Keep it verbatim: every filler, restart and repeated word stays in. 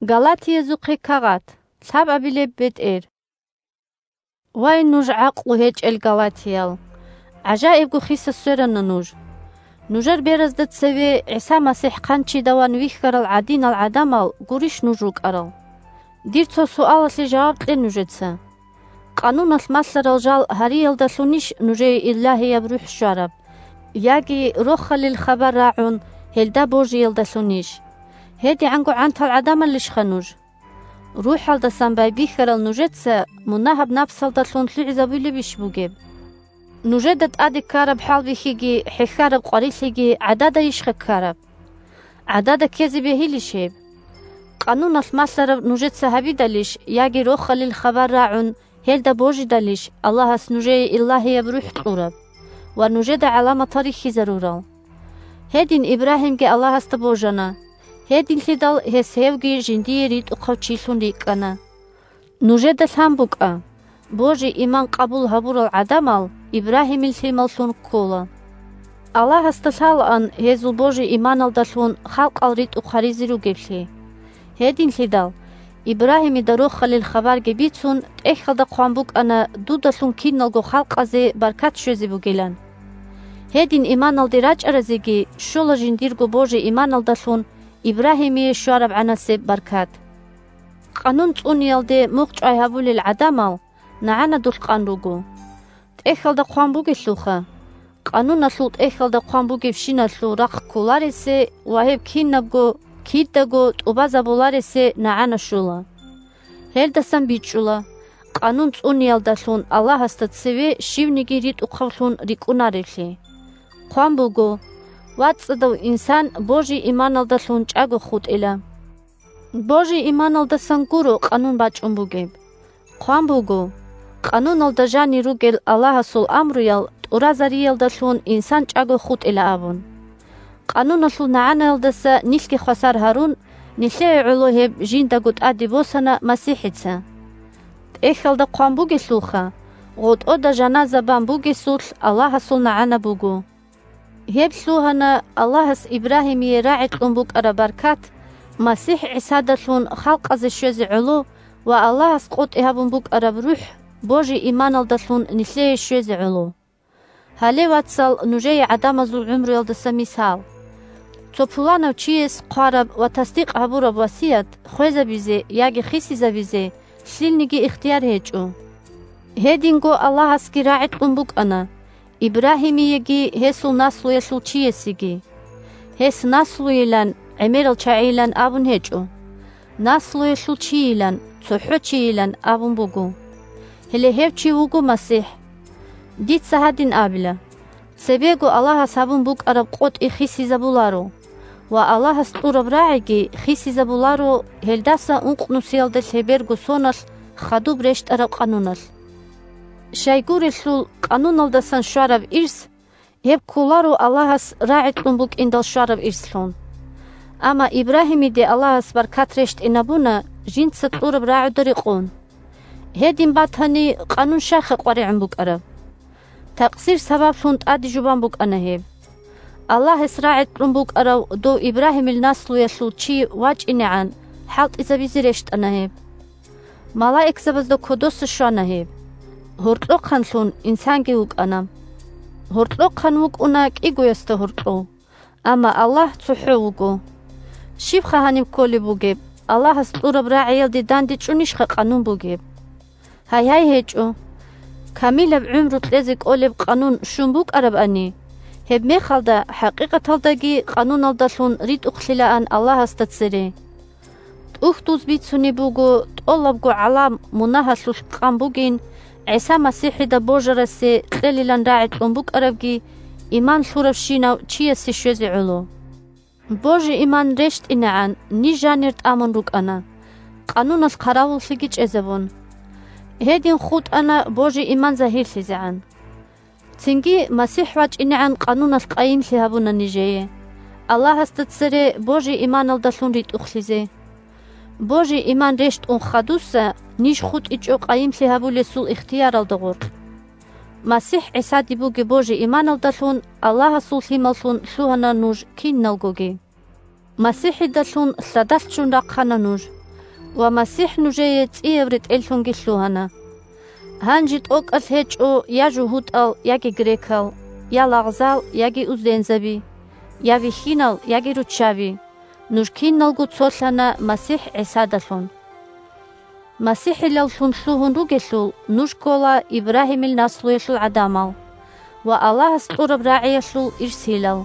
Галатиязухъе кагъат, лъабабилеб бетӀер. Вай, нуж гӀакълу гьечӀел галатиял! ГӀажаибго хиса сверана нуж. Нужер беразда цеве ГӀиса МасихӀ хъанчидаван вихьарал гӀадинал гӀадамал гурищ нуж рукӀарал? Дир цо суалалъе жаваб кье нужеца. Къануналъ малъарал жал гьариялдалъунищ нужее Илагьияб РухӀ щвараб, яги Рохалил хабар рагӀун, гьелда божиялдалъунищ? ГьедигӀанго гӀантал гӀадамалищха нуж? РухӀалдасан байбихьарал нужеца мунагьаб напсалдалъун лъугӀизабулебищ бугеб? Нужеда тӀаде ккараб хӀалбихьиги хӀехьараб къварилъиги гӀададайищха ккараб? ГӀадада ккезе бегьилищ гьеб? Къануналъ малъараб нужеца гьабидалищ яги Рохалил хабар рагӀун, гьелда божидалищ Аллагьас нужее Илагьияб РухӀ кьураб ва нужеда гӀаламатал рихьизарурал? Гьедин Ибрагьимги Аллагьасда божана, гьединлъидал гьес гьевги жиндие ритӀухъав чилъун рикӀкӀана. Нужеда лъан букӀа: божи-иман къабул гьабурал гӀадамал Ибрагьимил лъималлъун ккола. Аллагьасда лъалаан гьезул божи-иманалдалъун халкъал ритӀухъ гьаризе ругеблъи. Гьединлъидал, Ибрагьимида Рохалил хабарги бицун, тӀехьалда хъван букӀана дудалъун киналго халкъазе баркат щвезе бугилан. Гьедин иманалде рачӀаразеги щола жиндирго божи-иманалдалъун Ибрагьимие щварабгӀанасеб баркат. Къанун цӀуниялде мухъ чӀвай гьабулел гӀадамал нагӀана дулъ къан руго. ТӀехьалда хъван бугелъулха: «Къануналъул тӀехьалда хъван бугебщиналъул рахъ кколаресе ва гьеб кинабго, кидаго тӀубазабуларесе нагӀана щола». Гьелдасан бичӀчӀула, Къанун цӀуниялдалъун Аллагьасда цеве щивниги ритӀухъавлъун рикӀкӀунареблъи. Хъван буго: «ВацӀцӀадав инсан божи-иманалдалъун чӀаго хутӀила». Божи-иманалдасан гуро Къанун бачӀун бугеб. Хъван буго: «Къануналда жанир ругел Аллагьасул амруял тӀуразариялдалъун инсан чӀаго хутӀила», – абун. Къануналъул нагӀанаялдаса нилъги хвасар гьарун, нилъее гӀоло гьеб жиндаго тӀаде босана МасихӀица. ТӀехьалда хъван бугелъулха: «ГъотӀода жаназа бан бугесулъ Аллагьасул нагӀана буго». Гьеб лъугьана Аллагьас Ибрагьимие рагӀи кьун букӀараб баркат МасихӀ ГӀисадалъун халкъазе щвезе гӀоло ва Аллагьас къотӀи гьабун букӀараб РухӀ божи-иманалдалъун нилъее щвезе гӀоло. Гьале, вацал, нужее гӀадамазул гӀумруялдаса мисал. Цо пуланав чияс хъвараб ва тасдикъ гьабураб васият хвезабизе яги хисизабизе лъилниги ихтияр гьечӀо. Гьединго Аллагьасги рагӀи кьун букӀана Ибрагьимиеги гьесул наслуялъул чиясеги. Гьес наслуйилан, гӀемерал чагӀийилан абун гьечӀо. Наслуялъул чийилан, цохӀо чийилан абун буго. Гьеле гьев чи вуго МасихӀ. Дица гьадин абила: цебего Аллагьас гьабун букӀараб къотӀи хисизабуларо ва Аллагьас кьураб рагӀиги хисизабуларо гьелдаса ункънусиялда лъеберго соналъ хадуб рещтӀараб къануналъ. Щайгурелъул къануналдасан щвараб ирс, гьеб кколаро Аллагьас рагӀи кьун букӀиндал щвараб ирслъун. Амма Ибрагьимиде Аллагьас баркат рещтӀинабуна жинца кьураб рагӀуда рекъон. Гьедин батани, къанун щайха къваригӀун букӀараб? Такъсир сабаблъун тӀаде жубан букӀана гьеб. Аллагьас рагӀи кьун букӀарав дов Ибрагьимил наслуялъул чи вачӀинегӀан хӀалтӀизабизе рещтӀана гьеб. Малаикзабазда кодоса щвана гьеб. Гьоркьохъанлъун инсанги вукӀана. Гьоркьохъан вукӀуна кӀигоясда гьоркьов, амма Аллагь цохӀо вуго. Щибха гьаниб кколеб бугеб, Аллагьас кьураб рагӀиялде дандечӀунищха къанун бугеб? Гьайгьай, гьечӀо. Камилаб гӀумру кьезе кӀолеб къанун щун букӀарабани, гьебмехалда хӀакъикъаталдаги къануналдалъун ритӀухълъилаан Аллагьасда цере. ТӀухьдуз бицунеб буго, тӀолабго гӀалам мунагьалъулъ къан бугин, ГӀиса МасихӀида божарасе кьелилан рагӀи кьун букӀарабги иман лъуравщинав чиясе щвезе гӀоло. Божи-иман рещтӀинегӀан ниж жанир тӀамун рукӀана, къануналъ хъаравуллъиги чӀезабун. Гьедин хутӀана божи-иман загьирлъизегӀан. Цинги МасихӀ вачӀинегӀан къануналъ къайимлъи гьабуна нижее, Аллагьасда цере божи-иманалдалъун ритӀухълъизе. Божи-иман рещтӀун хадуса ниж хутӀичӀо къайимлъи гьабулесул ихтияралда гъоркь. МасихӀ ГӀисаде бугеб божи-иманалдалъун Аллагьасул лъималлъун лъугьана нуж киналгоги. МасихӀидалъун лъадалъ ччун рахъана нуж. Ва МасихӀ нужее цӀияб ретӀеллъунги лъугьана. Гьанже тӀокӀалъ гьечӀо я жугьутӀал, яги грекал, я лагъзал, яги уздензаби, я вихьинал, яги руччаби, нуж киналго цолъана МасихӀ ГӀисадалъун. МасихӀилаллъун лъугьун ругелъул, нуж ккола Ибрагьимил наслуялъул гӀадамал ва Аллагьас кьураб рагӀиялъул ирсилал.